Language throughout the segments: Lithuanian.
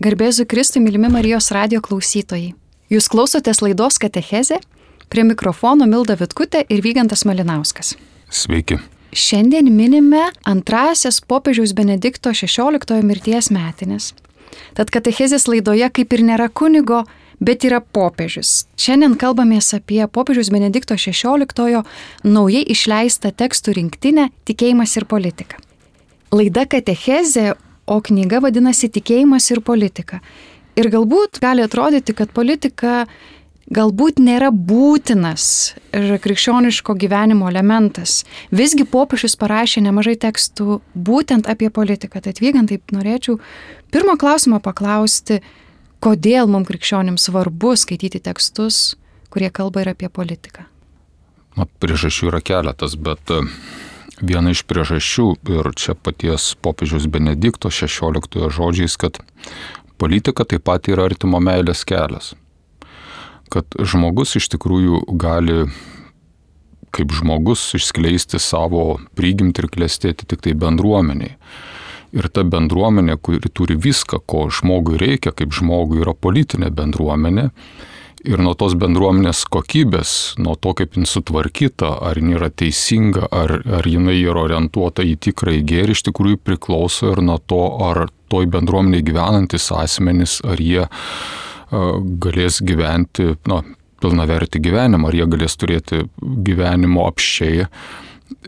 Garbėzu Kristui, mylimi Marijos radijo klausytojai. Jūs klausotės laidos Katechezė, prie mikrofono Milda Vitkutė ir Vygantas Malinauskas. Sveiki. Šiandien minime antrasias popiežiaus Benedikto XVI mirties metines. Tad Katechezės laidoje kaip ir nėra kunigo, bet yra popiežius. Šiandien kalbamės apie popiežiaus Benedikto XVI naujai išleistą tekstų rinktinę Tikėjimas ir politika. Laida Katechezė, o knyga vadinasi Tikėjimas ir politika. Ir galbūt gali atrodyti, kad politika galbūt nėra būtinas ir krikščioniško gyvenimo elementas. Visgi popiežius parašė nemažai tekstų būtent apie politiką. Tad Vygantai, norėčiau pirmo klausimo paklausti, kodėl mums krikščionims svarbu skaityti tekstus, kurie kalba ir apie politiką? Priežasčių yra keletas, bet viena iš priežasčių, ir čia paties popiežiaus Benedikto XVI žodžiais, kad politika taip pat yra artimo meilės kelias. Kad žmogus iš tikrųjų gali kaip žmogus išskleisti savo prigimtį ir klestėti tik tai bendruomeniai. Ir ta bendruomenė, kuri turi viską, ko žmogui reikia, kaip žmogui yra politinė bendruomenė. Ir nuo tos bendruomenės kokybės, nuo to, kaip jin sutvarkyta, ar jin yra teisinga, ar jinai yra orientuota į tikrąjį gėrį, iš tikrųjų priklauso ir nuo to, ar toj bendruomenėje gyvenantis asmenys, ar jie galės gyventi pilnavertį gyvenimą, ar jie galės turėti gyvenimo apsčiai.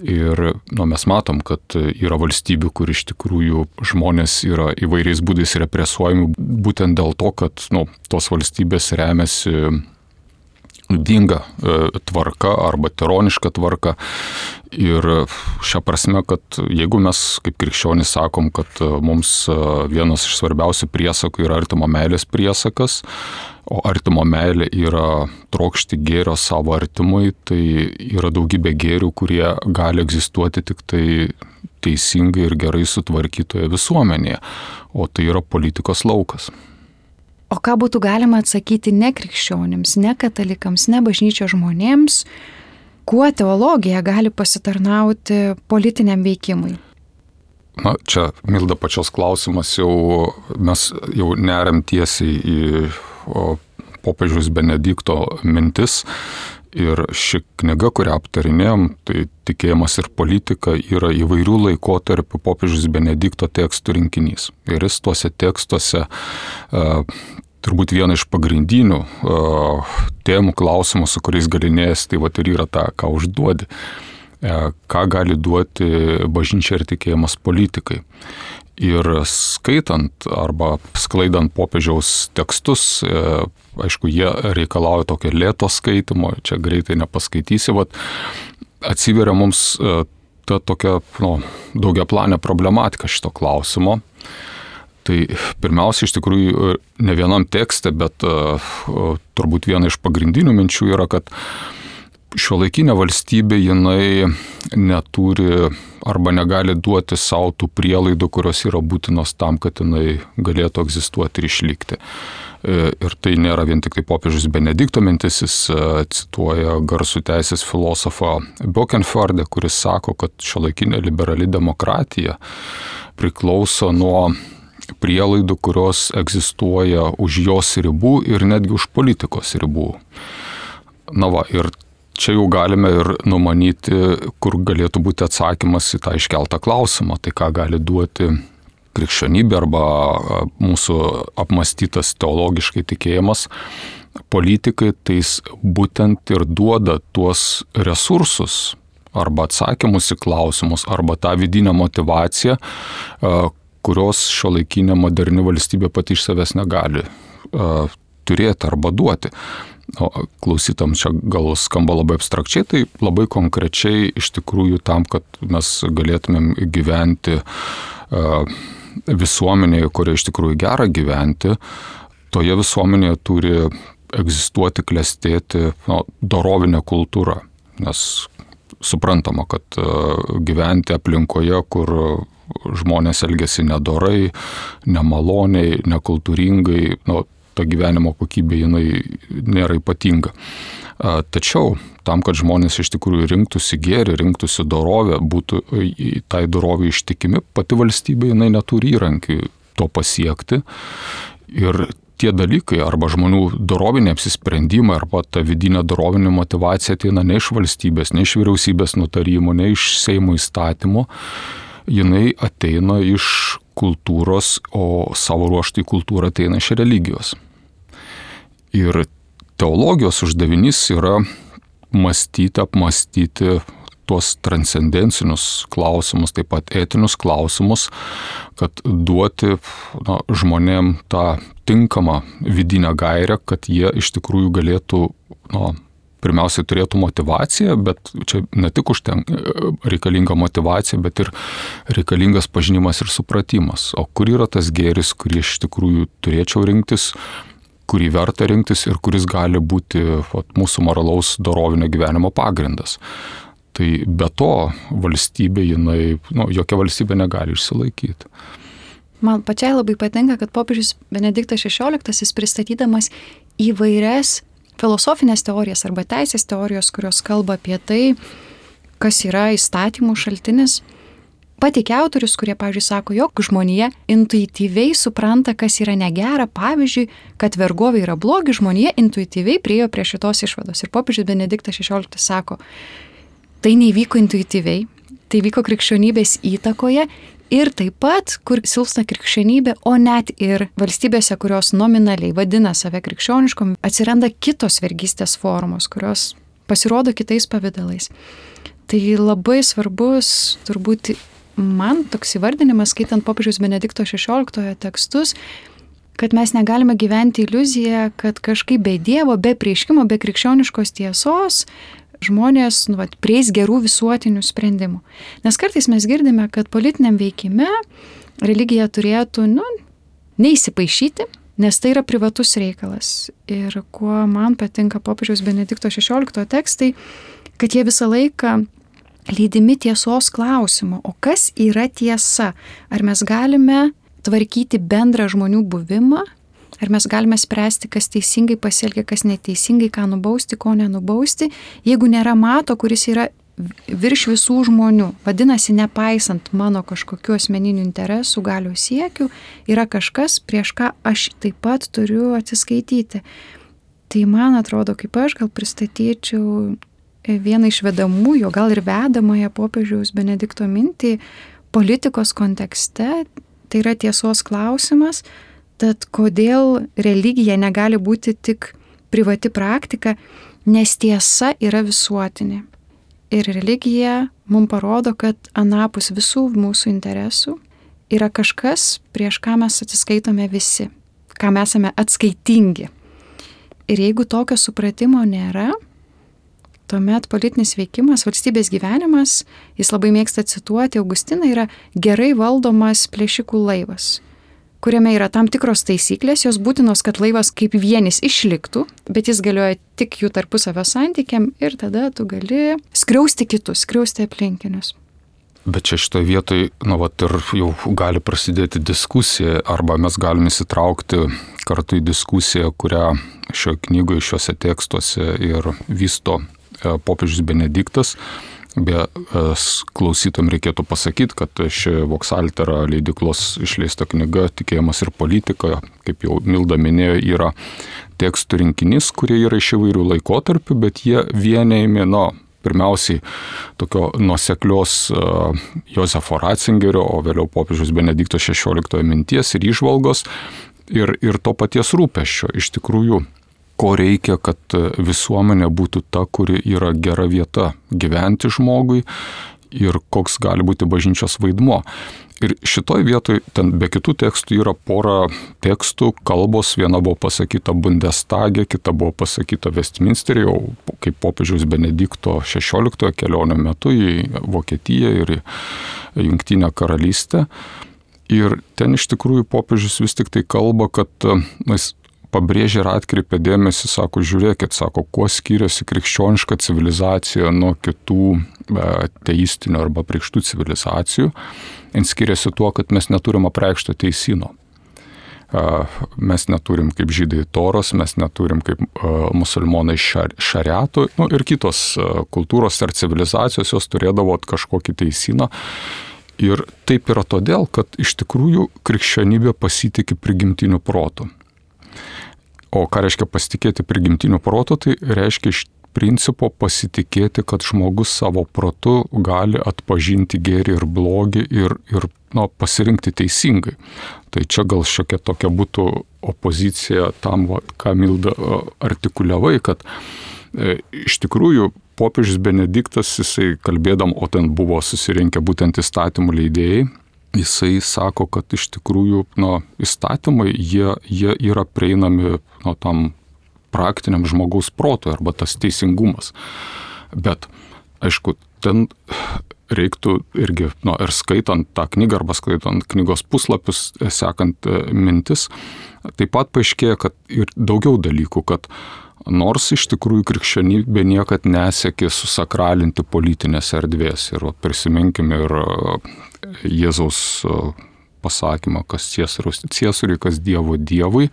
Ir mes matom, kad yra valstybių, kur iš tikrųjų žmonės yra įvairiais būdais represuojami būtent dėl to, kad tos valstybės remiasi ydinga tvarka arba tironiška tvarka. Ir šią prasme, kad jeigu mes kaip krikščionys sakom, kad mums vienas iš svarbiausių priesakų yra artimo meilės priesakas, o artimo meilė yra trokšti gėrio savo artimui, tai yra daugybė gėrių, kurie gali egzistuoti tik tai teisingai ir gerai sutvarkytoje visuomenėje, o tai yra politikos laukas. O ką būtų galima atsakyti ne krikščionims, ne katalikams, ne bažnyčios žmonėms, kuo teologija gali pasitarnauti politiniam veikimui? Čia, Milda, pačios klausimas mes jau neriam tiesiai į popiežiaus Benedikto mintis. Ir ši knyga, kurią aptarinėjom, tai Tikėjimas ir politika, yra įvairių laikotarpių popiežiaus Benedikto tekstų rinkinys. Ir jis tuose tekstuose turbūt viena iš pagrindinių temų klausimų, su kuriais galinėjęs, tai ir yra ta, ką užduodi. Ką gali duoti bažnyčia ir tikėjimas politikai. Ir skaitant arba sklaidant popiežiaus tekstus, aišku, jie reikalauja tokio lėto skaitimo, čia greitai nepaskaitysi, atsiveria mums ta tokia daugiaplanė problematika šito klausimo. Tai pirmiausia, iš tikrųjų, ne vienam tekste, bet turbūt viena iš pagrindinių minčių yra, kad šiuolaikinė valstybė jinai neturi arba negali duoti savo tų prielaidų, kurios yra būtinos tam, kad jinai galėtų egzistuoti ir išlikti. Ir tai nėra vien tik tai popiežius Benedikto mintis, jis cituoja garsų teisės filosofą Böckenförde, kuris sako, kad šiuolaikinė liberali demokratija priklauso nuo prielaidų, kurios egzistuoja už jos ribų ir netgi už politikos ribų. Ir čia jau galime ir numanyti, kur galėtų būti atsakymas į tą iškeltą klausimą, tai ką gali duoti krikščionybė arba mūsų apmąstytas teologiškai tikėjimas politikai, tai jis būtent ir duoda tuos resursus arba atsakymus į klausimus arba tą vidinę motivaciją, kurios šiuolaikinė moderni valstybė pati iš savęs negali turėti arba duoti. Klausytam čia gal skamba labai abstrakčiai, tai labai konkrečiai iš tikrųjų tam, kad mes galėtumėm gyventi visuomenėje, kurioje iš tikrųjų gera gyventi, toje visuomenėje turi egzistuoti, klestėti dorovinė kultūra. Nes suprantama, kad gyventi aplinkoje, kur žmonės elgiasi nedorai, nemaloniai, nekultūringai, ta gyvenimo kokybė jinai nėra ypatinga. Tačiau tam, kad žmonės iš tikrųjų rinktųsi gėrį, rinktųsi dorovę, būtų tai dorovė ištikimi, pati valstybė jinai neturi įrankių to pasiekti. Ir tie dalykai arba žmonių dorovinė apsisprendimai arba ta vidinė dorovinė motivacija ateina ne iš valstybės, ne iš vyriausybės nutarimų, ne iš Seimo įstatymų, jinai ateina iš kultūros, o savo ruožtų į kultūrą ateina iš religijos. Ir teologijos uždavinys yra mąstyti, apmąstyti tuos transcendencinius klausimus, taip pat etinius klausimus, kad duoti žmonėm tą tinkamą vidinę gairę, kad jie iš tikrųjų galėtų, pirmiausiai turėtų motivaciją, bet čia ne tik reikalinga motivacija, bet ir reikalingas pažinimas ir supratimas. O kur yra tas gėris, kurį iš tikrųjų turėčiau rinktis, kurį verta rinktis ir kuris gali būti mūsų moralaus dorovinio gyvenimo pagrindas. Tai be to valstybė, jokia valstybė negali išsilaikyti. Man pačiai labai patinka, kad popiežius Benediktas XVI pristatydamas įvairias filosofinės teorijas arba teisės teorijos, kurios kalba apie tai, kas yra įstatymų šaltinis, pateikia autorius, kurie, pavyzdžiui, sako, jog žmonija intuityviai supranta, kas yra negera, pavyzdžiui, kad vergovė yra blogi, žmonija intuityviai priėjo prie šitos išvados. Ir popiežius Benediktas XVI sako, tai neįvyko intuityviai, tai vyko krikščionybės įtakoje ir taip pat, kur silpsta krikščionybė, o net ir valstybėse, kurios nominaliai vadina save krikščioniškom, atsiranda kitos vergystės formos, kurios pasirodo kitais pavidalais. Tai labai svarbus, turbūt man toks įvardinimas, skaitant popiežiaus Benedikto XVI tekstus, kad mes negalime gyventi iliuziją, kad kažkaip be Dievo, be prieškimo, be krikščioniškos tiesos žmonės prieis gerų visuotinių sprendimų. Nes kartais mes girdime, kad politiniam veikime religija turėtų neįsipaišyti, nes tai yra privatus reikalas. Ir kuo man patinka popiežiaus Benedikto XVI tekstai, kad jie visą laiką lydimi tiesos klausimo. O kas yra tiesa? Ar mes galime tvarkyti bendrą žmonių buvimą? Ar mes galime spręsti, kas teisingai pasielgia, kas neteisingai, ką nubausti, ko nenubausti, jeigu nėra mato, kuris yra virš visų žmonių. Vadinasi, nepaisant mano kažkokių asmeninių interesų, galios siekių, yra kažkas, prieš ką aš taip pat turiu atsiskaityti. Tai man atrodo, kaip aš gal pristatyčiau vieną iš vedamųjų, gal ir vedamąją popiežiaus Benedikto mintį politikos kontekste, tai yra tiesos klausimas. Tad kodėl religija negali būti tik privati praktika, nes tiesa yra visuotinė. Ir religija mums parodo, kad anapus visų mūsų interesų yra kažkas, prieš ką mes atsiskaitome visi, ką mes esame atskaitingi. Ir jeigu tokio supratimo nėra, tuomet politinis veikimas, valstybės gyvenimas, jis labai mėgsta cituoti Augustiną, yra gerai valdomas plėšikų laivas, kuriame yra tam tikros taisyklės, jos būtinos, kad laivas kaip vienis išliktų, bet jis galioja tik jų tarpusavio santykiam ir tada tu gali skriausti kitus, skriausti aplinkinius. Bet čia šitoje vietoje, ir jau gali prasidėti diskusija, arba mes galime įsitraukti kartu į diskusiją, kurią šioje knygoje, šiuose tekstuose ir vysto popiežius Benediktas. Be klausytojams reikėtų pasakyti, kad ši Voksaltera leidyklos išleista knyga Tikėjimas ir politika, kaip jau Milda minėjo, yra tekstų rinkinys, kurie yra iš įvairių laikotarpių, bet jie vienijami, pirmiausiai tokio nuoseklios Josefo Ratzingerio, o vėliau popiežiaus Benedikto XVI minties ir įžvalgos ir to paties rūpesčio. Iš tikrųjų, ko reikia, kad visuomenė būtų ta, kuri yra gera vieta gyventi žmogui ir koks gali būti bažnyčios vaidmuo. Ir šitoj vietoj, ten be kitų tekstų yra pora tekstų, kalbos, viena buvo pasakyta Bundestage, kita buvo pasakyta Westminsteryje, jau kaip popiežiaus Benedikto XVI kelionio metu į Vokietiją ir į Jungtinę karalystę. Ir ten iš tikrųjų popiežius vis tik tai kalba, kad jis pabrėžė ir atkreipė dėmesį, sako, žiūrėkit, sako, kuo skiriasi krikščioniška civilizacija nuo kitų teistinių arba priekštų civilizacijų. Jis skiriasi tuo, kad mes neturim apreikšto teisino. Mes neturim kaip žydai toros, mes neturim kaip musulmonai šariato, ir kitos kultūros ar civilizacijos, jos turėdavo kažkokį teisiną. Ir taip yra todėl, kad iš tikrųjų krikščionybė pasitikė prigimtiniu protu. O ką reiškia pasitikėti prigimtiniu protu, tai reiškia iš principo pasitikėti, kad žmogus savo protu gali atpažinti gėrį ir blogį ir pasirinkti teisingai. Tai čia gal šiokia tokia būtų opozicija tam, ką Milda artikuliavai, kad iš tikrųjų popiežius Benediktas, jisai kalbėdam, o ten buvo susirinkę būtent įstatymų leidėjai, jisai sako, kad iš tikrųjų įstatymai, jie yra prieinami tam praktiniam žmogaus protui arba tas teisingumas. Bet, aišku, ten reiktų irgi, ir skaitant tą knygą arba skaitant knygos puslapius, sekant mintis, taip pat paaiškėja, kad ir daugiau dalykų, kad nors iš tikrųjų krikščionybė niekad nesiekė susakralinti politinės erdvės. Ir prisiminkime ir Jėzaus pasakymą, kas Ciesoriui, kas Dievo Dievui.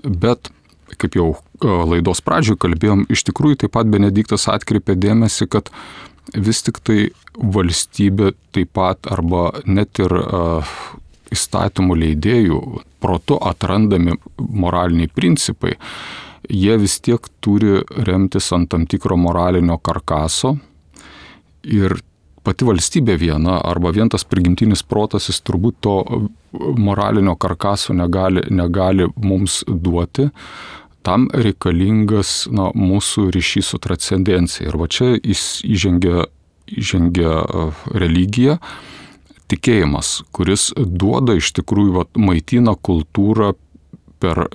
Bet, kaip jau laidos pradžioje kalbėjom, iš tikrųjų taip pat Benediktas atkreipė dėmesį, kad vis tik tai valstybė taip pat arba net ir įstatymų leidėjų protu atrandami moraliniai principai, jie vis tiek turi remtis ant tam tikro moralinio karkaso ir pati valstybė viena arba vien tas prigimtinis protas, jis turbūt to moralinio karkaso negali mums duoti. Tam reikalingas mūsų ryšys su transcendencija. Ir va čia įžengia religija, tikėjimas, kuris duoda iš tikrųjų maitina kultūrą per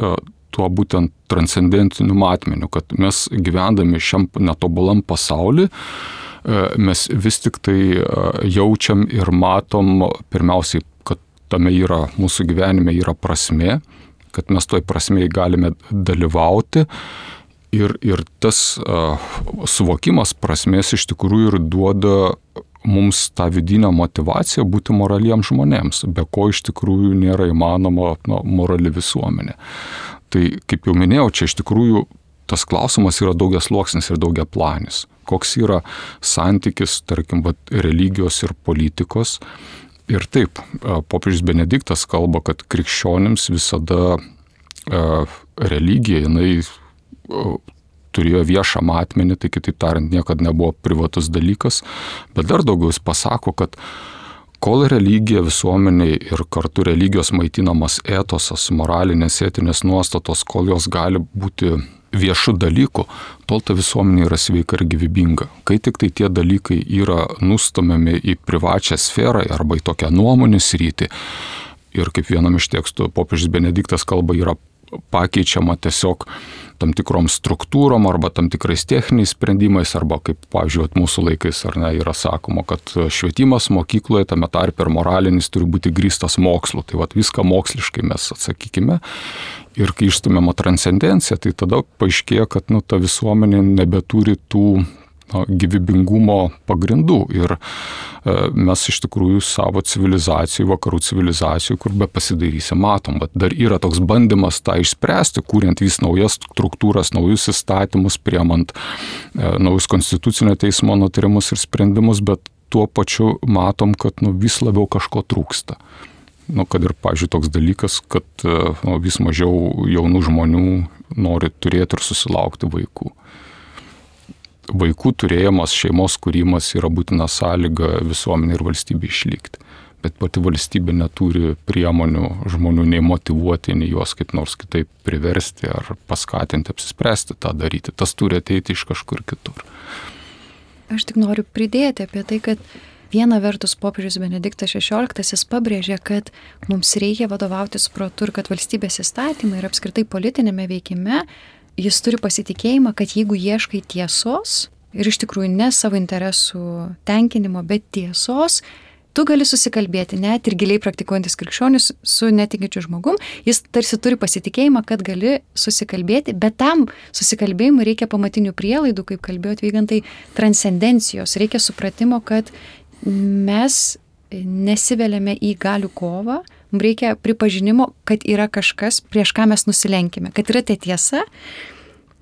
tuo būtent transcendentiniu matmeniu, kad mes gyvendami šiam netobulam pasauly, mes vis tik tai jaučiam ir matom pirmiausiai, kad tame mūsų gyvenime yra prasmė, kad mes toj prasmėje galime dalyvauti ir tas suvokimas prasmės iš tikrųjų ir duoda mums tą vidinę motyvaciją būti moraliems žmonėms, be ko iš tikrųjų nėra įmanoma morali visuomenė. Tai, kaip jau minėjau, čia iš tikrųjų tas klausimas yra daugiasluoksnis ir daugiaplanis. Koks yra santykis, tarkim, religijos ir politikos. Ir taip, popiežius Benediktas kalba, kad krikščionims visada religija, jinai turėjo viešą matmenį, tai kitaip tariant, niekada nebuvo privatus dalykas, bet dar daugiau jis pasako, kad kol religija visuomeniai ir kartu religijos maitinamas etosas, moralinės etinės nuostatos, kol jos gali būti viešų dalykų, tol ta visuomenė yra sveika ir gyvybinga. Kai tik tai tie dalykai yra nustumiami į privačią sferą arba į tokią nuomonių sritį, ir kaip vienam iš tekstų popiežius Benediktas kalba, yra pakeičiama tiesiog tam tikrom struktūrom arba tam tikrais techniniais sprendimais, arba kaip, pavyzdžiui, mūsų laikais yra sakoma, kad švietimas mokykloje, tame tarpe ir moralinis, turi būti grįstas mokslu. Tai viską moksliškai mes atsakykime. Ir kai išstumiama transcendencija, tai tada paaiškėja, kad ta visuomenė nebeturi tų gyvybingumo pagrindų. Ir mes iš tikrųjų savo civilizacijų, vakarų civilizacijų, kur be pasidairysi, matom, bet dar yra toks bandymas tą išspręsti, kuriant vis naujas struktūras, naujus įstatymus, priemant naujus konstitucinio teismo nutarimus ir sprendimus, bet tuo pačiu matom, kad vis labiau kažko trūksta. Kad ir, pavyzdžiui, toks dalykas, kad vis mažiau jaunų žmonių nori turėti ir susilaukti vaikų. Vaikų turėjimas, šeimos kūrimas yra būtina sąlyga visuomenė ir valstybė išlikti. Bet pati valstybė neturi priemonių žmonių nei motyvuoti, nei juos kaip nors kitaip priversti ar paskatinti, apsispręsti tą daryti. Tas turi ateiti iš kažkur kitur. Aš tik noriu pridėti apie tai, kad viena vertus popiežius Benediktas XVI pabrėžė, kad mums reikia vadovautis protu ir kad valstybės įstatymai ir apskritai politinėme veikime jis turi pasitikėjimą, kad jeigu ieškai tiesos ir iš tikrųjų ne savo interesų tenkinimo, bet tiesos, tu gali susikalbėti, net ir giliai praktikuojantis krikščionis su netikinčiu žmogum, jis tarsi turi pasitikėjimą, kad gali susikalbėti, bet tam susikalbėjimui reikia pamatinių prielaidų, kaip kalbėjo Vygantai, transcendencijos, reikia supratimo, kad mes nesiveliame į galių kovą, mums reikia pripažinimo, kad yra kažkas, prieš ką mes nusilenkime, kad yra tai tiesa,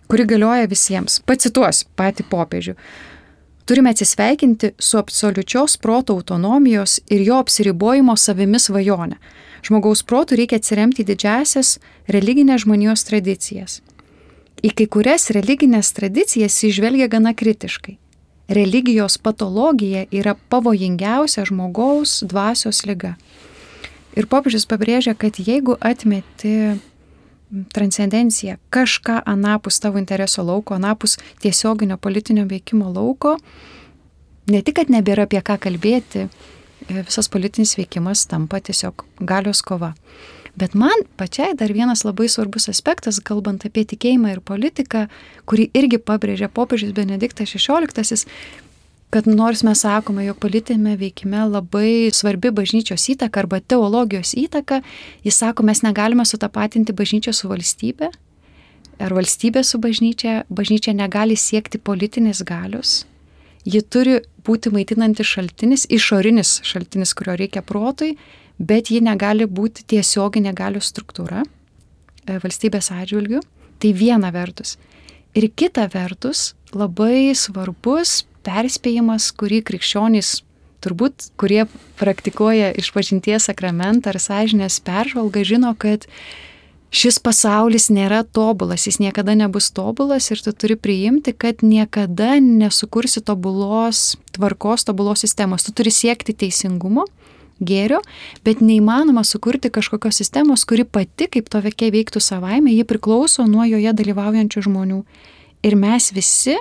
kuri galioja visiems. Pacituosiu patį popiežių. Turime atsisveikinti su absoliučios proto autonomijos ir jo apsiribojimo savimi svajonę. Žmogaus protų reikia atsiremti į didžiasias religinės žmonijos tradicijas. Į kai kurias religinės tradicijas įžvelgia gana kritiškai. Religijos patologija yra pavojingiausia žmogaus dvasios liga. Ir popiežius pabrėžia, kad jeigu atmeti transcendenciją, kažką anapus tavo intereso lauko, anapus tiesioginio politinio veikimo lauko, ne tik, kad nebėra apie ką kalbėti, visas politinis veikimas tampa tiesiog galios kova. Bet man pačiai dar vienas labai svarbus aspektas, kalbant apie tikėjimą ir politiką, kurį irgi pabrėžia popiežius Benediktas XVI, kad nors mes sakome, jog politinėme veikime labai svarbi bažnyčios įtaka arba teologijos įtaka, jis sako, mes negalime sutapatinti bažnyčią su valstybe, ar valstybė su bažnyčia, bažnyčia negali siekti politinės galios, ji turi būti maitinantis šaltinis, išorinis šaltinis, kurio reikia protui, bet ji negali būti tiesioginė galios struktūra valstybės atžvilgių. Tai viena vertus. Ir kita vertus, labai svarbus perspėjimas, kurį krikščionys, turbūt, kurie praktikuoja išpažinties sakramentą ar sąžinės peržvalgą, žino, kad šis pasaulis nėra tobulas, jis niekada nebus tobulas ir tu turi priimti, kad niekada nesukursi tobulos tvarkos, tobulos sistemos. Tu turi siekti teisingumo, gėrio, bet neįmanoma sukurti kažkokios sistemos, kuri pati kaip to veikia veiktų savaime, ji priklauso nuo joje dalyvaujančių žmonių. Ir mes visi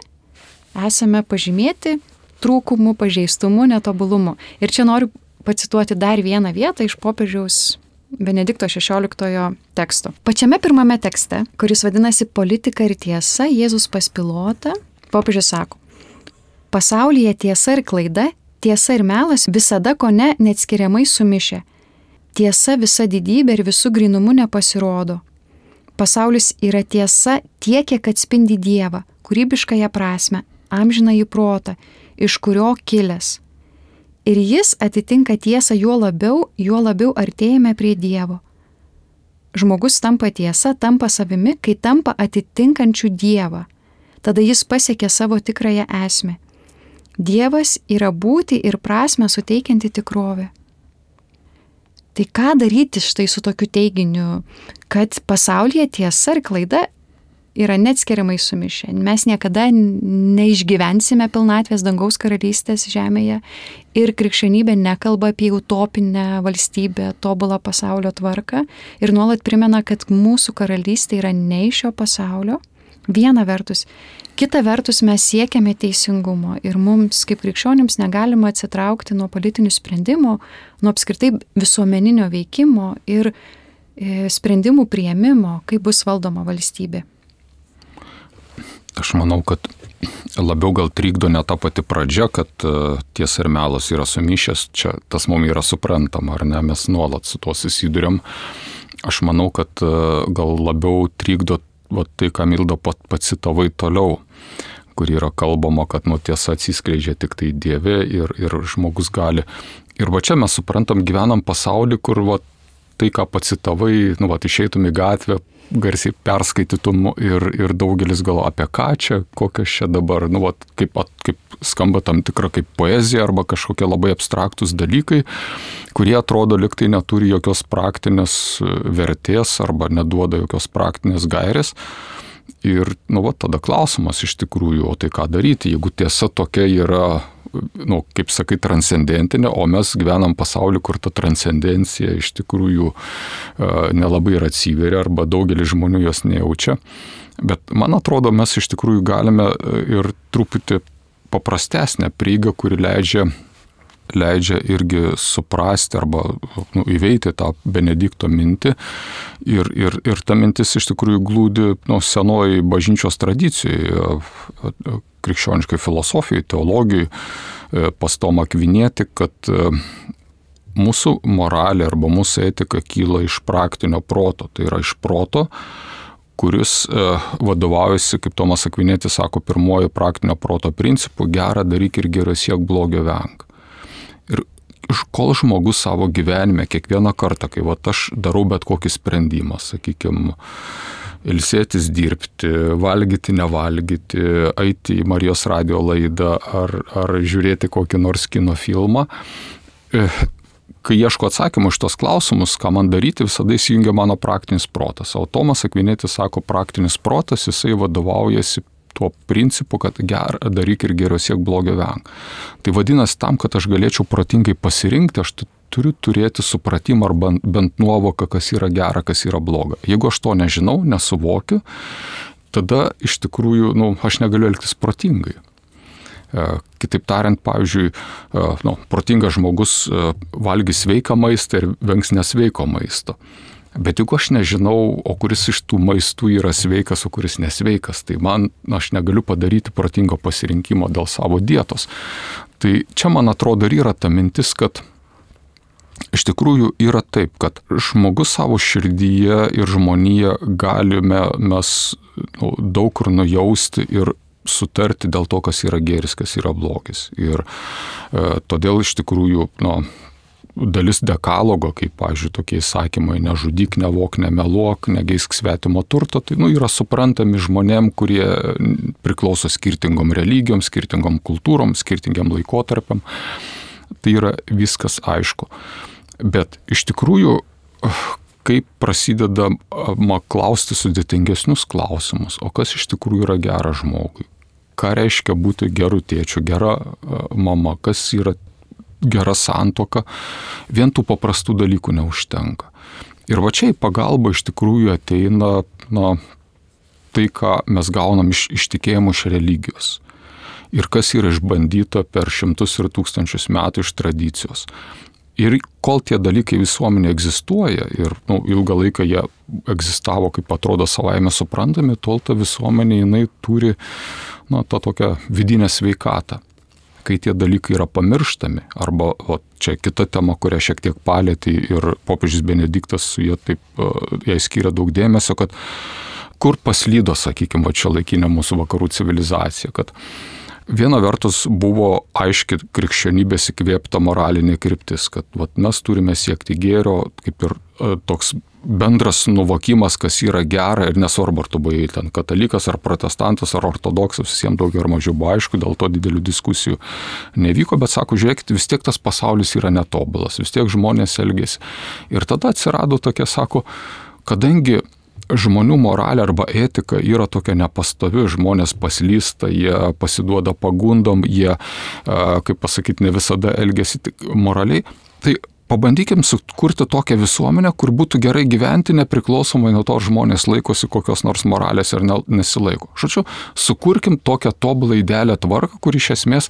esame pažymėti trūkumų, pažeistumu, netobulumu. Ir čia noriu pacituoti dar vieną vietą iš popiežiaus Benedikto XVI teksto. Pačiame pirmame tekste, kuris vadinasi Politika ir tiesa, Jėzus pas Pilotą, popiežius sako, pasaulyje tiesa ir klaida, tiesa ir melas visada kone neatskiriamai sumišę. Tiesa visa didybė ir visų grynumu nepasirodo. Pasaulis yra tiesa tiek, kiek atspindi Dievą, kūrybiškąją prasmę, amžinąjį protą, iš kurio kilęs. Ir jis atitinka tiesą juo labiau artėjame prie Dievo. Žmogus tampa tiesa, tampa savimi, kai tampa atitinkančių Dievą. Tada jis pasiekia savo tikrąją esmę. Dievas yra būti ir prasmę suteikianti tikrovė. Tai ką daryti štai su tokiu teiginiu, kad pasaulyje tiesa ir klaida yra neatskiriamai sumišę. Mes niekada neišgyvensime pilnatvės dangaus karalystės žemėje ir krikščionybė nekalba apie utopinę valstybę, tobulą pasaulio tvarką ir nuolat primena, kad mūsų karalystė yra ne iš šio pasaulio. Viena vertus. Kita vertus mes siekiame teisingumo ir mums kaip krikščionims negalima atsitraukti nuo politinių sprendimų, nuo apskritai visuomeninio veikimo ir sprendimų priėmimo, kaip bus valdoma valstybė. Aš manau, kad labiau gal trikdo ne ta pati pradžia, kad tiesa ir melas yra sumišęs, čia tas mums yra suprantama, ar ne, mes nuolat su tuo susiduriam. Aš manau, kad gal labiau trikdo tai, ką Milda pacitavai toliau, kur yra kalbama, kad tiesa atsiskleidžia tik tai Dieve ir žmogus gali. Ir čia mes suprantam, gyvenam pasaulį, kur tai, ką pacitavai, išeitum į gatvę, garsiai perskaitytum ir daugelis gal apie ką čia, kokios čia dabar, kaip skamba tam tikra kaip poezija arba kažkokie labai abstraktus dalykai, kurie atrodo lyg tai neturi jokios praktinės vertės arba neduoda jokios praktinės gairės. Ir tada klausimas iš tikrųjų, o tai ką daryti, jeigu tiesa tokia yra, kaip sakai, transcendentinė, o mes gyvenam pasaulį, kur ta transcendencija iš tikrųjų nelabai ir atsiveria arba daugelis žmonių jos nejaučia. Bet man atrodo, mes iš tikrųjų galime ir truputį paprastesnę prieigą, kuri leidžia irgi suprasti arba įveikti tą Benedikto mintį. Ir ta mintis iš tikrųjų glūdi senoji bažnyčios tradicijoje, krikščioniškai filosofijai, teologijai, pas Tomą Akvinietį, kad mūsų moralė arba mūsų etika kyla iš praktinio proto. Tai yra iš proto, kuris vadovaujasi, kaip Tomas Akvinietis sako, pirmoji praktinio proto principu, gerą daryk ir gerai siek, blogio venk. Ir kol žmogus savo gyvenime kiekvieną kartą, kai aš darau bet kokį sprendimą, sakykime, ilsėtis, dirbti, valgyti, nevalgyti, eiti į Marijos radijo laidą ar žiūrėti kokį nors kino filmą, kai ieško atsakymų iš tos klausimus, ką man daryti, visada įsijungia mano praktinis protas. O Tomas Akvinietis sako, praktinis protas, jisai vadovaujasi tuo principu, kad daryk ir geriau siek, blogio venk. Tai vadinasi, tam, kad aš galėčiau protingai pasirinkti, aš turiu turėti supratimą arba bent nuovoką, kas yra gera, kas yra bloga. Jeigu aš to nežinau, nesuvokiu, tada iš tikrųjų, aš negaliu elgtis protingai. Kitaip tariant, pavyzdžiui, protingas žmogus valgys sveiką maistą ir vengs nesveiko maisto. Bet jeigu aš nežinau, o kuris iš tų maistų yra sveikas, o kuris nesveikas, tai aš negaliu padaryti protingo pasirinkimo dėl savo dietos. Tai čia, man atrodo, ir yra ta mintis, kad iš tikrųjų yra taip, kad žmogus savo širdyje ir žmonija galime mes daug kur nujausti ir sutarti dėl to, kas yra gėris, kas yra blogis. Ir todėl iš tikrųjų, dalis dekalogo, kaip, pavyzdžiui, tokie įsakymai, nežudyk, nevok, nemeluok, negeisk svetimo turto, tai yra suprantami žmonėm, kurie priklauso skirtingom religijom, skirtingom kultūrom, skirtingiam laikotarpiam. Tai yra viskas aišku. Bet iš tikrųjų, kaip prasidedama klausti sudėtingesnius klausimus, o kas iš tikrųjų yra gera žmogui? Ką reiškia būti geru tėčiu, gera mama, kas yra gera santuoka, vien tų paprastų dalykų neužtenka. Ir va čia į pagalbą iš tikrųjų ateina tai, ką mes gaunam iš tikėjimo, iš religijos. Ir kas yra išbandyta per šimtus ir tūkstančius metų iš tradicijos. Ir kol tie dalykai visuomenė egzistuoja ir ilgą laiką jie egzistavo, kaip atrodo savaime suprantami, tol ta visuomenė jinai turi tą tokią vidinę sveikatą. Kai tie dalykai yra pamirštami, arba čia kita tema, kurią šiek tiek palėtė ir popiežius Benediktas su jai skiria daug dėmesio, kad kur paslydo, sakykime, šiuolaikinė mūsų vakarų civilizacija, kad viena vertus buvo aiški krikščionybės įkvėpta moralinė kryptis, kad mes turime siekti gėrio, kaip ir toks bendras nuvokimas, kas yra gera ir nesvarbu, ar tu buvai ten katalikas, ar protestantas, ar ortodoksas, visiems daugiau ar mažiau buvo aišku, dėl to didelių diskusijų nevyko, bet sako, žiūrėkit, vis tiek tas pasaulis yra netobulas, vis tiek žmonės elgėsi. Ir tada atsirado tokia, sako, kadangi žmonių moralė arba etika yra tokia nepastovi, žmonės paslysta, jie pasiduoda pagundom, jie, kaip pasakyti, ne visada elgėsi moraliai, tai pabandykim sukurti tokią visuomenę, kur būtų gerai gyventi, nepriklausomai nuo to, ar žmonės laikosi kokios nors moralės ar nesilaiko. Žodžiu, sukurkim tokią tobulą idealią tvarką, kur iš esmės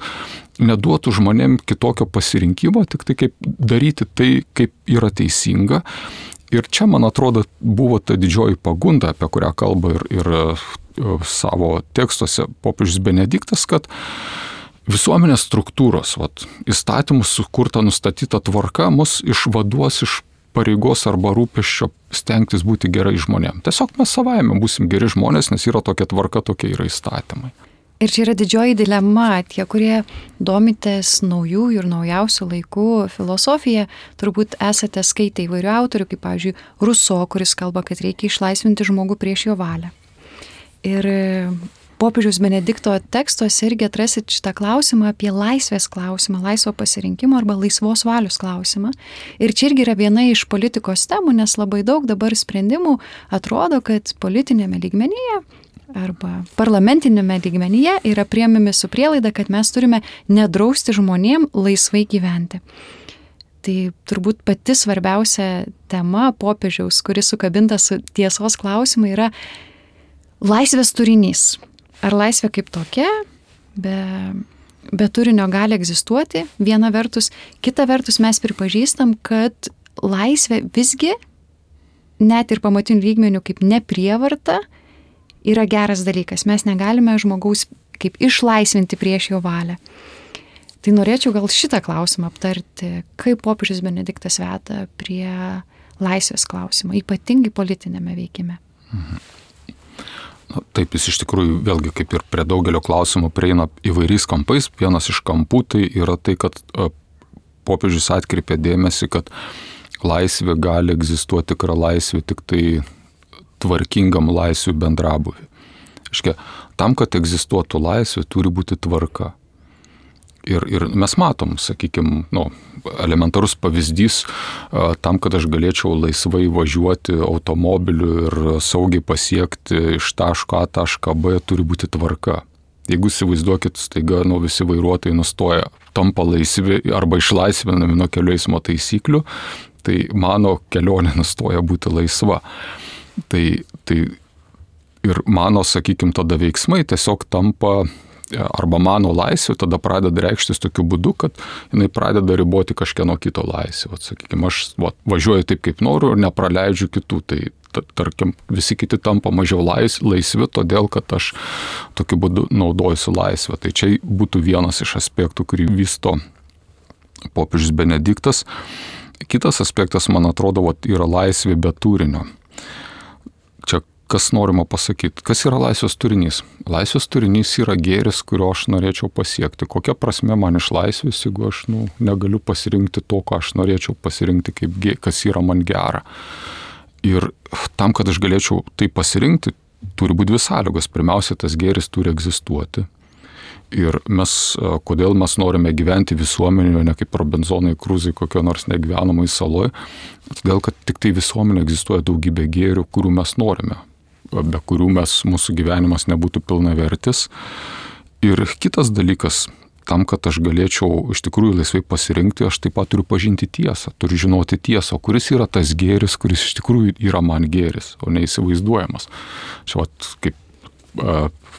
neduotų žmonėm kitokio pasirinkimo, tik tai kaip daryti tai, kaip yra teisinga. Ir čia, man atrodo, buvo ta didžioji pagunda, apie kurią kalba ir savo tekstuose popiežius Benediktas, kad visuomenės struktūros, įstatymus sukurta nustatyta tvarka mus išvaduos iš pareigos arba rūpesčio stengtis būti gerai žmonėm. Tiesiog mes savaime būsim geri žmonės, nes yra tokia tvarka, tokie yra įstatymai. Ir čia yra didžioji dilema, tie, kurie domitės naujųjų ir naujausių laikų filosofiją, turbūt esate skaitę įvairių autorių, kaip, pavyzdžiui, Ruso, kuris kalba, kad reikia išlaisvinti žmogų prieš jo valią. Ir popiežiaus Benedikto tekstuose irgi atrasit šitą klausimą apie laisvės klausimą, laisvo pasirinkimo arba laisvos valios klausimą. Ir čia irgi yra viena iš politikos temų, nes labai daug dabar sprendimų atrodo, kad politinėme lygmenyje arba parlamentinėme lygmenyje yra priėmimi su prielaida, kad mes turime nedrausti žmonėm laisvai gyventi. Tai turbūt pati svarbiausia tema popiežiaus, kuris sukabinta su tiesos klausimai, yra laisvės turinys. Ar laisvė kaip tokia, be turinio gali egzistuoti, viena vertus, kita vertus mes pripažįstam, kad laisvė visgi, net ir pamatinių lygmenių kaip neprievarta, yra geras dalykas. Mes negalime žmogaus kaip išlaisvinti prieš jo valią. Tai norėčiau gal šitą klausimą aptarti, kaip popiežius Benediktas veda prie laisvės klausimo, ypatingai politinėme veikime. Taip, jis iš tikrųjų vėlgi kaip ir prie daugelio klausimų prieina įvairiais kampais. Vienas iš kampų tai yra tai, kad popiežius atkreipė dėmesį, kad laisvė gali egzistuoti, tikra laisvė tik tai tvarkingam laisvių bendrabūviui. Tam, kad egzistuotų laisvė, turi būti tvarka. Ir mes matom, sakykime, elementarus pavyzdys tam, kad aš galėčiau laisvai važiuoti automobiliu ir saugiai pasiekti iš taško A tašką B, turi būti tvarka. Jeigu įsivaizduokit, staiga visi vairuotojai nustoja, tampa laisvi arba išlaisvinami nuo kelių eismo taisyklių, tai mano kelionė nustoja būti laisva. Tai ir mano, sakykime, tada veiksmai tiesiog tampa, arba mano laisvė tada pradeda reikštis tokiu būdu, kad jinai pradeda riboti kažkieno kito laisvę. Sakykime, aš važiuoju taip, kaip noriu ir nepraleidžiu kitų. Tai tarkim, visi kiti tampa mažiau laisvi, todėl, kad aš tokiu būdu naudojusiu laisvę. Tai čia būtų vienas iš aspektų, kurį vysto popiežius Benediktas. Kitas aspektas, man atrodo, yra laisvė be turinio. Čia kas norima pasakyti? Kas yra laisvės turinys? Laisvės turinys yra gėris, kurio aš norėčiau pasiekti. Kokia prasme man iš laisvės, jeigu aš negaliu pasirinkti to, ką aš norėčiau pasirinkti, kas yra man gera. Ir tam, kad aš galėčiau tai pasirinkti, turi būti dvi sąlygos. Pirmiausia, tas gėris turi egzistuoti. Ir kodėl mes norime gyventi visuomenėje, ne kaip Robinzonai Kruzai kokio nors negyvenamai saloj, todėl, kad tik tai visuomenė egzistuoja daugybė gėrių, kurių mes norime, be kurių mūsų gyvenimas nebūtų pilnavertis. Ir kitas dalykas, tam, kad aš galėčiau iš tikrųjų laisvai pasirinkti, aš taip pat turiu pažinti tiesą, turiu žinoti tiesą, kuris yra tas gėris, kuris iš tikrųjų yra man gėris, o neįsivaizduojamas. Čia kaip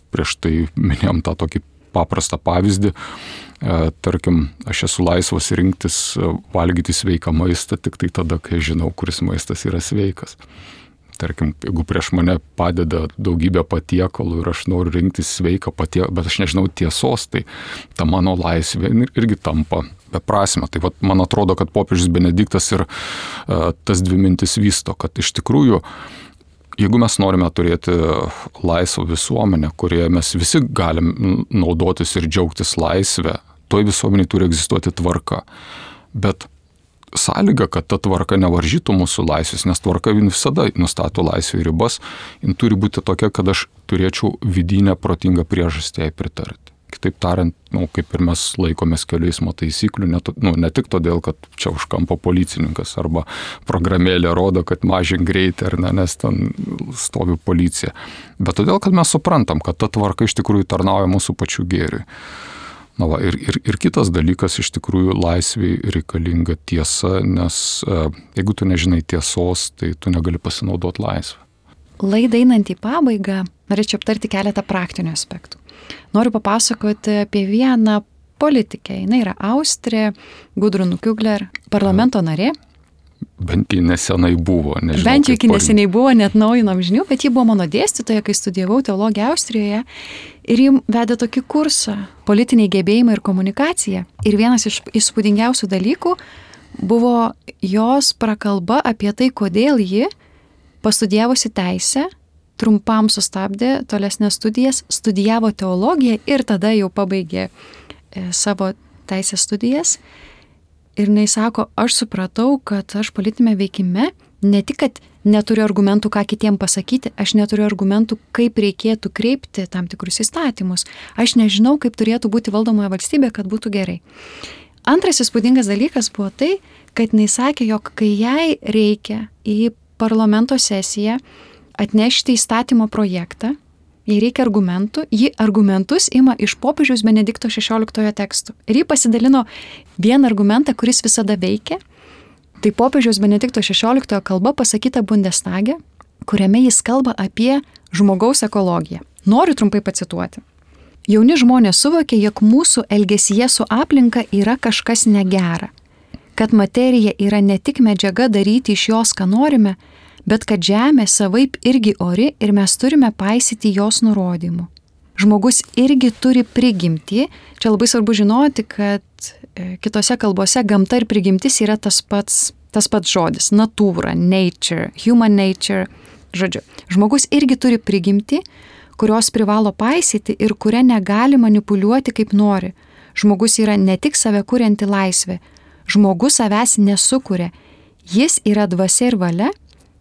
prieš tai minėjom tą tokį paprastą pavyzdį, tarkim, aš esu laisvas rinktis valgyti sveiką maistą tik tai tada, kai žinau, kuris maistas yra sveikas. Tarkim, jeigu prieš mane padeda daugybė patiekalų ir aš noriu rinktis sveiką patiekalą, bet aš nežinau tiesos, tai ta mano laisvė irgi tampa beprasmė. Tai man atrodo, kad popiežius Benediktas ir tas dvi mintis vysto, kad iš tikrųjų, jeigu mes norime turėti laisvą visuomenę, kurioje mes visi galim naudotis ir džiaugtis laisvę, toj visuomenėje turi egzistuoti tvarka. Bet sąlyga, kad ta tvarka nevaržytų mūsų laisvės, nes tvarka visada nustato laisvę ribas, jin turi būti tokia, kad aš turėčiau vidinę protingą priežastį jai pritarti. Kitaip tariant, kaip ir mes laikomės kelių eismo taisyklių, ne tik todėl, kad čia už kampo policininkas arba programėlė rodo, kad mažink greitį, ar ne, nes ten stovi policija, bet todėl, kad mes suprantam, kad ta tvarka iš tikrųjų tarnauja mūsų pačių gėriui. Ir kitas dalykas, iš tikrųjų laisvei reikalinga tiesa, nes jeigu tu nežinai tiesos, tai tu negali pasinaudoti laisvę. Laidai einant į pabaigą, norėčiau aptarti keletą praktinių aspektų. Noriu papasakoti apie vieną politikę. Jis yra Austrė, Gudrun Kugler, parlamento narė. Bent jau nesenai buvo. Bent jau iki neseniai buvo, net naujinom žinių, bet ji buvo mano dėstytoja, kai studijavau teologiją Austrijoje. Ir ji vedė tokį kursą politiniai gebėjimai ir komunikacija. Ir vienas iš įspūdingiausių dalykų buvo jos prakalba apie tai, kodėl ji, pastudijavusi teisę, trumpam sustabdė tolesnės studijas, studijavo teologiją ir tada jau pabaigė savo teisės studijas. Ir jinai sako, aš supratau, kad aš politinėme veikime ne tik, kad neturiu argumentų, ką kitiem pasakyti, aš neturiu argumentų, kaip reikėtų kreipti tam tikrus įstatymus. Aš nežinau, kaip turėtų būti valdomoje valstybė, kad būtų gerai. Antras įspūdingas dalykas buvo tai, kad jinai sakė, jog kai jai reikia į parlamento sesiją atnešti įstatymo projektą, jei reikia argumentų, ji argumentus ima iš popiežiaus Benedikto XVI tekstų. Ir ji pasidalino vieną argumentą, kuris visada veikia. Tai popiežiaus Benedikto XVI kalba pasakyta Bundestage, kuriame jis kalba apie žmogaus ekologiją. Noriu trumpai pacituoti. Jauni žmonės suvokia, jog mūsų elgesyje su aplinka yra kažkas negera. Kad materija yra ne tik medžiaga daryti iš jos, ką norime, bet kad žemė savaip irgi ori ir mes turime paisyti jos nurodymų. Žmogus irgi turi prigimtį. Čia labai svarbu žinoti, kad kitose kalbose gamta ir prigimtis yra tas pats žodis. Natūra, nature, human nature. Žodžiu, žmogus irgi turi prigimtį, kurios privalo paisyti ir kuria negali manipuliuoti kaip nori. Žmogus yra ne tik save kurianti laisvė. Žmogus savęs nesukuria. Jis yra dvasia ir valia,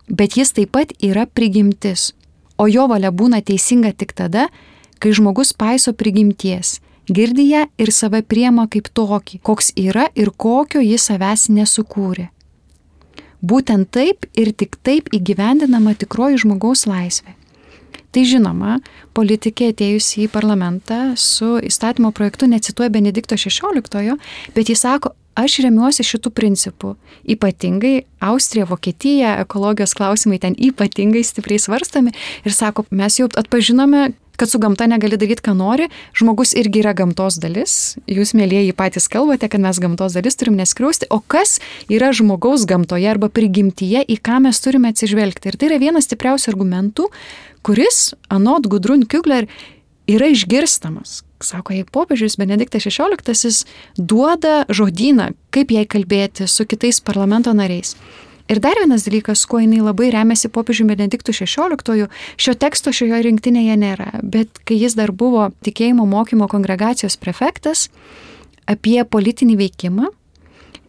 bet jis taip pat yra prigimtis. O jo valia būna teisinga tik tada, kai žmogus paiso prigimties. girdi ją ir save priema kaip tokį, koks yra ir kokio jis savęs nesukūrė. Būtent taip ir tik taip įgyvendinama tikroji žmogaus laisvė. Tai žinoma, politikė atėjusi į parlamentą su įstatymo projektu necituoja Benedikto XVI, bet jis sako, aš remiuosi šitų principų. Ypatingai Austrija, Vokietija, ekologijos klausimai ten ypatingai stipriai svarstami ir sako, mes jau atpažinome, kad su gamta negali daryti, ką nori, žmogus irgi yra gamtos dalis. Jūs, mėlieji, patys kalbate, kad mes gamtos dalis turim neskriausti, o kas yra žmogaus gamtoje arba prigimtyje, į ką mes turime atsižvelgti. Ir tai yra vienas stipriausių argumentų, kuris, anot Gudrun Kügler, yra išgirstamas. Sako, jei popiežius Benediktas XVI duoda žodyną, kaip jai kalbėti su kitais parlamento nariais. Ir dar vienas dalykas, kuo jinai labai remiasi popiežiumi Benediktu XVI, šio teksto šioje rinktinėje nėra, bet kai jis dar buvo tikėjimo mokymo kongregacijos prefektas apie politinį veikimą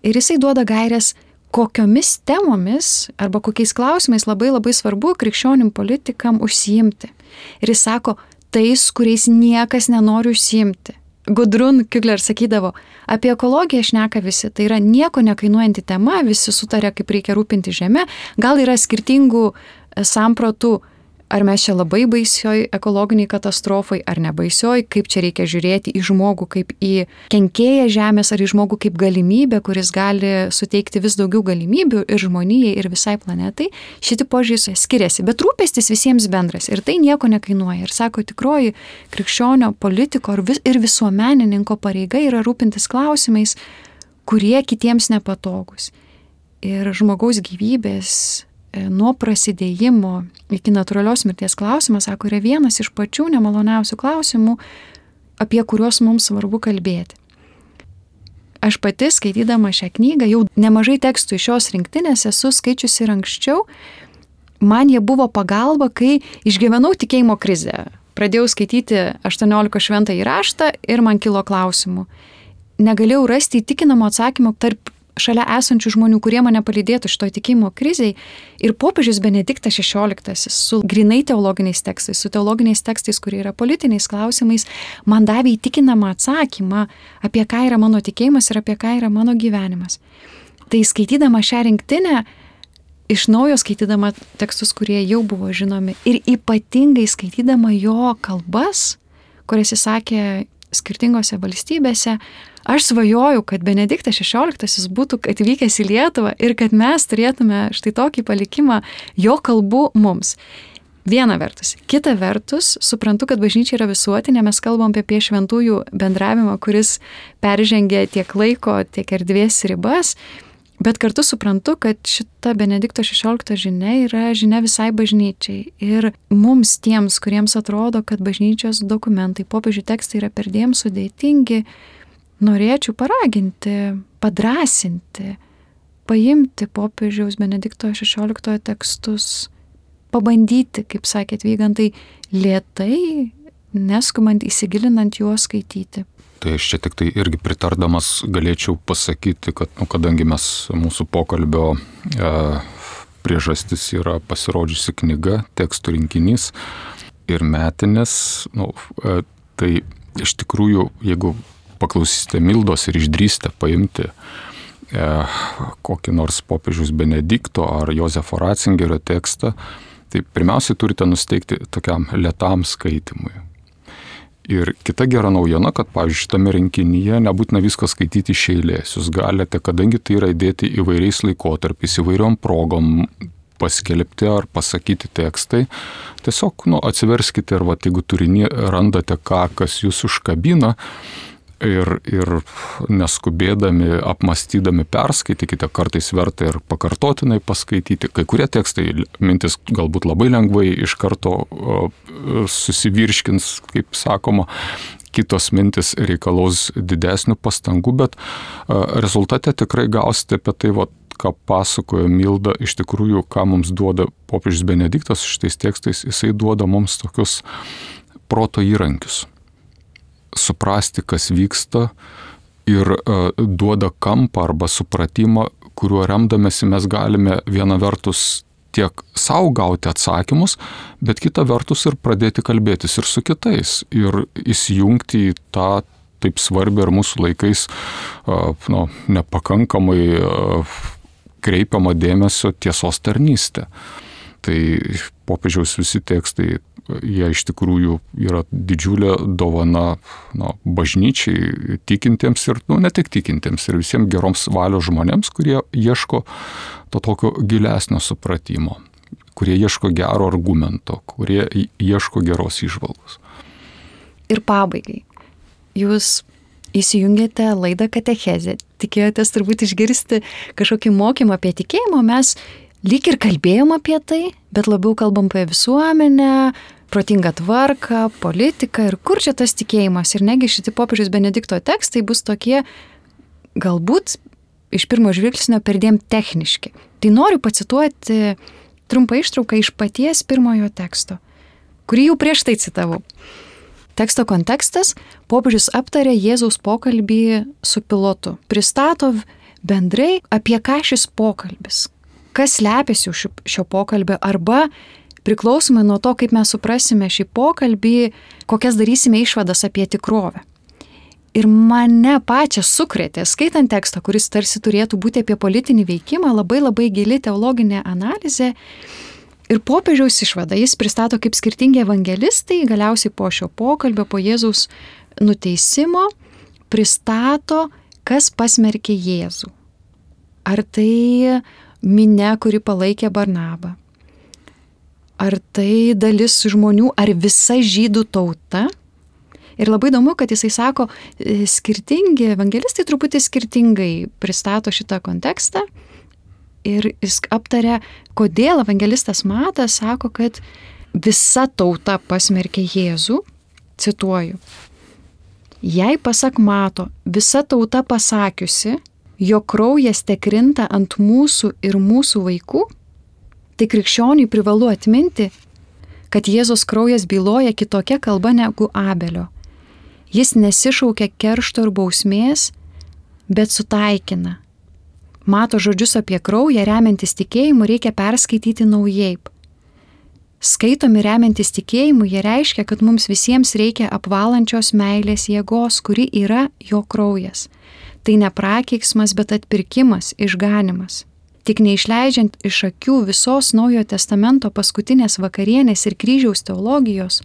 ir jisai duoda gairias, kokiomis temomis arba kokiais klausimais labai svarbu krikščionim politikam užsiimti. Ir jis sako, tais, kuriais niekas nenori užsiimti. Gudrun Kügler sakydavo, apie ekologiją šneka visi, tai yra nieko nekainuojanti tema, visi sutarė, kaip reikia rūpinti žemę, gal yra skirtingų sampratų, ar mes čia labai baisioj ekologiniai katastrofai, ar ne baisioj, kaip čia reikia žiūrėti į žmogų kaip į kenkėją žemės, ar į žmogų kaip galimybę, kuris gali suteikti vis daugiau galimybių ir žmonijai, ir visai planetai. Šiti požiūrį skiriasi, bet rūpestis visiems bendras ir tai nieko nekainuoja. Ir sako, tikroji krikščionio politiko ir visuomenininko pareiga yra rūpintis klausimais, kurie kitiems nepatogus. Ir žmogaus gyvybės nuo prasidėjimo iki natūralios mirties klausimas, sako, yra vienas iš pačių nemaloniausių klausimų, apie kuriuos mums svarbu kalbėti. Aš pati, skaitydama šią knygą, jau nemažai tekstų iš šios rinktinės esu skaičiusi ir anksčiau. Man jie buvo pagalba, kai išgyvenau tikėjimo krizę. Pradėjau skaityti 18 šventąjį raštą ir man kilo klausimų. Negalėjau rasti įtikinamo atsakymo tarp šalia esančių žmonių, kurie mane palydėtų šitoj tikėjimo krizei. Ir popiežius Benediktas XVI su grinai teologiniais tekstais, su teologiniais tekstais, kurie yra politiniais klausimais, man davė įtikinamą atsakymą, apie ką yra mano tikėjimas ir apie ką yra mano gyvenimas. Tai skaitydama šią rinktinę, iš naujo skaitydama tekstus, kurie jau buvo žinomi, ir ypatingai skaitydama jo kalbas, kurias jis sakė skirtingose valstybėse, aš svajoju, kad Benediktas XVI būtų atvykęs į Lietuvą ir kad mes turėtume štai tokį palikimą jo kalbų mums. Viena vertus. Kita vertus, suprantu, kad bažnyčia yra visuotinė, mes kalbam apie šventųjų bendravimą, kuris peržengia tiek laiko, tiek erdvės ribas, bet kartu suprantu, kad šita Benedikto XVI žinia yra žinia visai bažnyčiai. Ir mums tiems, kuriems atrodo, kad bažnyčios dokumentai, popiežių tekstai yra perdėm sudėtingi, norėčiau paraginti, padrąsinti, paimti popiežiaus Benedikto XVI tekstus, pabandyti, kaip sakėt, Vygantai, lėtai, neskubant įsigilinant juos skaityti. Tai aš čia tik tai irgi pritardamas galėčiau pasakyti, kad kadangi mūsų pokalbio priežastis yra pasirodžiusi knyga, tekstų rinkinys ir metinės, tai iš tikrųjų, jeigu paklausysite Mildos ir išdrįsite paimti kokį nors popiežiaus Benedikto ar Jozefo Ratzingerio tekstą, tai pirmiausiai turite nusteikti tokiam lėtam skaitimui. Ir kita gera naujiena, kad, pavyzdžiui, šitame rinkinyje nebūtina viską skaityti iš eilės. Jūs galite, kadangi tai yra įdėti įvairiais laikotarpiais, įvairiom progom paskelbti ar pasakyti tekstai, tiesiog atsiverskite ir jeigu turinį randate kas jūs užkabina, ir neskubėdami, apmastydami perskaitykite, kartais verta ir pakartotinai paskaityti. Kai kurie tekstai, mintis galbūt labai lengvai iš karto susivirškins, kaip sakoma, kitos mintis reikalaus didesnių pastangų, bet rezultate tikrai gausite apie tai, ką pasakojo Milda, iš tikrųjų, ką mums duoda popiežius Benediktas šitais tekstais, jisai duoda mums tokius proto įrankius. Suprasti, kas vyksta ir duoda kampą arba supratimą, kuriuo remdamėsi mes galime viena vertus tiek savo gauti atsakymus, bet kita vertus ir pradėti kalbėtis ir su kitais ir įsijungti į tą taip svarbi ir mūsų laikais nepakankamai kreipiama dėmesio tiesos tarnystė. Tai popiežiaus visi tekstai, jie iš tikrųjų yra didžiulė dovana bažnyčiai, tikintiems ir ne tik tikintiems, ir visiems geroms valios žmonėms, kurie ieško to tokio gilesnio supratimo, kurie ieško gero argumento, kurie ieško geros įžvalgos. Ir pabaigai, jūs įsijungėte laidą Katechezė, tikėjotės turbūt išgirsti kažkokį mokymą apie tikėjimą, mes lyg ir kalbėjom apie tai, bet labiau kalbam apie visuomenę, protingą tvarką, politiką ir kur čia tas tikėjimas. Ir negi šitie popiežiaus Benedikto tekstai bus tokie, galbūt iš pirmo žvilgsnio perdėm techniški. Tai noriu pacituoti trumpą ištrauką iš paties pirmojo teksto, kurį jau prieš tai citavau. Teksto kontekstas: popiežius aptarė Jėzaus pokalbį su Pilotu. Pristato bendrai, apie ką šis pokalbis, kas slepiasi už šio pokalbio, arba priklausomai nuo to, kaip mes suprasime šį pokalbį, kokias darysime išvadas apie tikrovę. Ir mane pačią sukrėtė, skaitant tekstą, kuris tarsi turėtų būti apie politinį veikimą, labai gili teologinė analizė. Ir popiežiaus išvada jis pristato, kaip skirtingi evangelistai galiausiai po šio pokalbio, po Jėzaus nuteisimo, pristato, kas pasmerkė Jėzų. Ar tai minia, kuri palaikė Barnabą? Ar tai dalis žmonių, ar visa žydų tauta? Ir labai įdomu, kad jisai sako, skirtingi evangelistai truputį skirtingai pristato šitą kontekstą. Ir jis aptarė, kodėl evangelistas Matas sako, kad visa tauta pasmerkė Jėzų, cituoju: jei pasak Mato visa tauta pasakiusi, jo kraujas tekrinta ant mūsų ir mūsų vaikų, tai krikščioniui privalu atminti, kad Jėzos kraujas byloja kitokia kalba negu Abelio. Jis nesišaukia keršto ir bausmės, bet sutaikina. Mato žodžius apie kraują remiantis tikėjimu reikia perskaityti naujai. Skaitomi remiantis tikėjimu, jie reiškia, kad mums visiems reikia apvalančios meilės jėgos, kuri yra jo kraujas. Tai ne prakeiksmas, bet atpirkimas, išganimas. Tik neišleidžiant iš akių visos Naujojo testamento paskutinės vakarienės ir kryžiaus teologijos,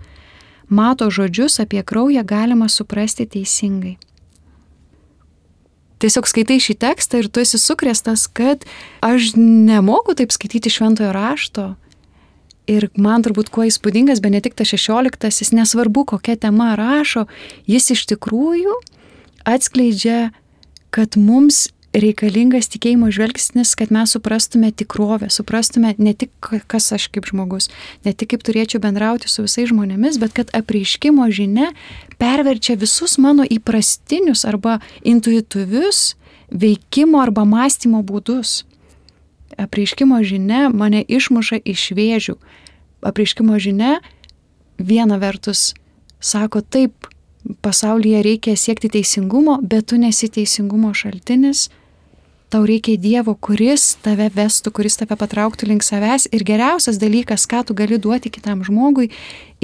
Mato žodžius apie kraują galima suprasti teisingai. Tiesiog skaitai šį tekstą ir tu esi sukrėstas, kad aš nemoku taip skaityti šventojo rašto. Ir man turbūt kuo įspūdingas Benediktas XVI, nesvarbu kokia tema rašo, jis iš tikrųjų atskleidžia, kad mums reikalingas tikėjimo žvelgsnis, kad mes suprastume tikrovę, suprastume ne tik kas aš kaip žmogus, ne tik kaip turėčiau bendrauti su visais žmonėmis, bet kad apreiškimo žinia perverčia visus mano įprastinius arba intuityvius veikimo arba mąstymo būdus. Apreiškimo žinia mane išmuša iš vėžių. Apreiškimo žinia viena vertus sako, taip, pasaulyje reikia siekti teisingumo, bet tu nesi teisingumo šaltinis. Tau reikia Dievo, kuris tave vestų, kuris tave patrauktų link savęs. Ir geriausias dalykas, ką tu gali duoti kitam žmogui,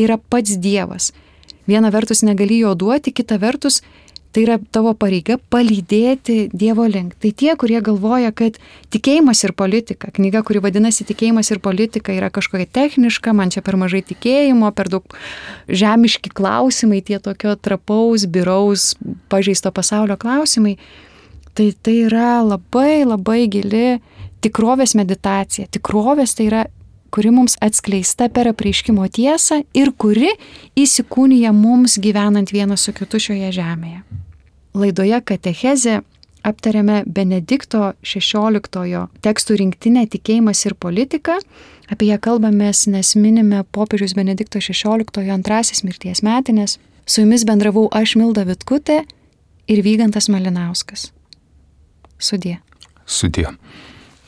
yra pats Dievas. Viena vertus negali jo duoti, kita vertus tai yra tavo pareiga palydėti Dievo link. Tai tie, kurie galvoja, kad tikėjimas ir politika, knyga, kuri vadinasi Tikėjimas ir politika, yra kažkokia techniška, man čia per mažai tikėjimo, per daug žemiški klausimai, tie tokio trapaus, biraus, pažeisto pasaulio klausimai, tai yra labai gili tikrovės meditacija. Tikrovės tai yra, kuri mums atskleista per apreiškimo tiesą ir kuri įsikūnija mums gyvenant vienas su kitu šioje žemėje. Laidoje Katechezė aptarėme Benedikto XVI tekstų rinktinę Tikėjimas ir politika. Apie ją kalbamės, nes minime popiežiaus Benedikto XVI antrasis mirties metinės. Su jumis bendravau aš, Milda Vitkutė, ir Vygantas Malinauskas. Sudie. Sudie.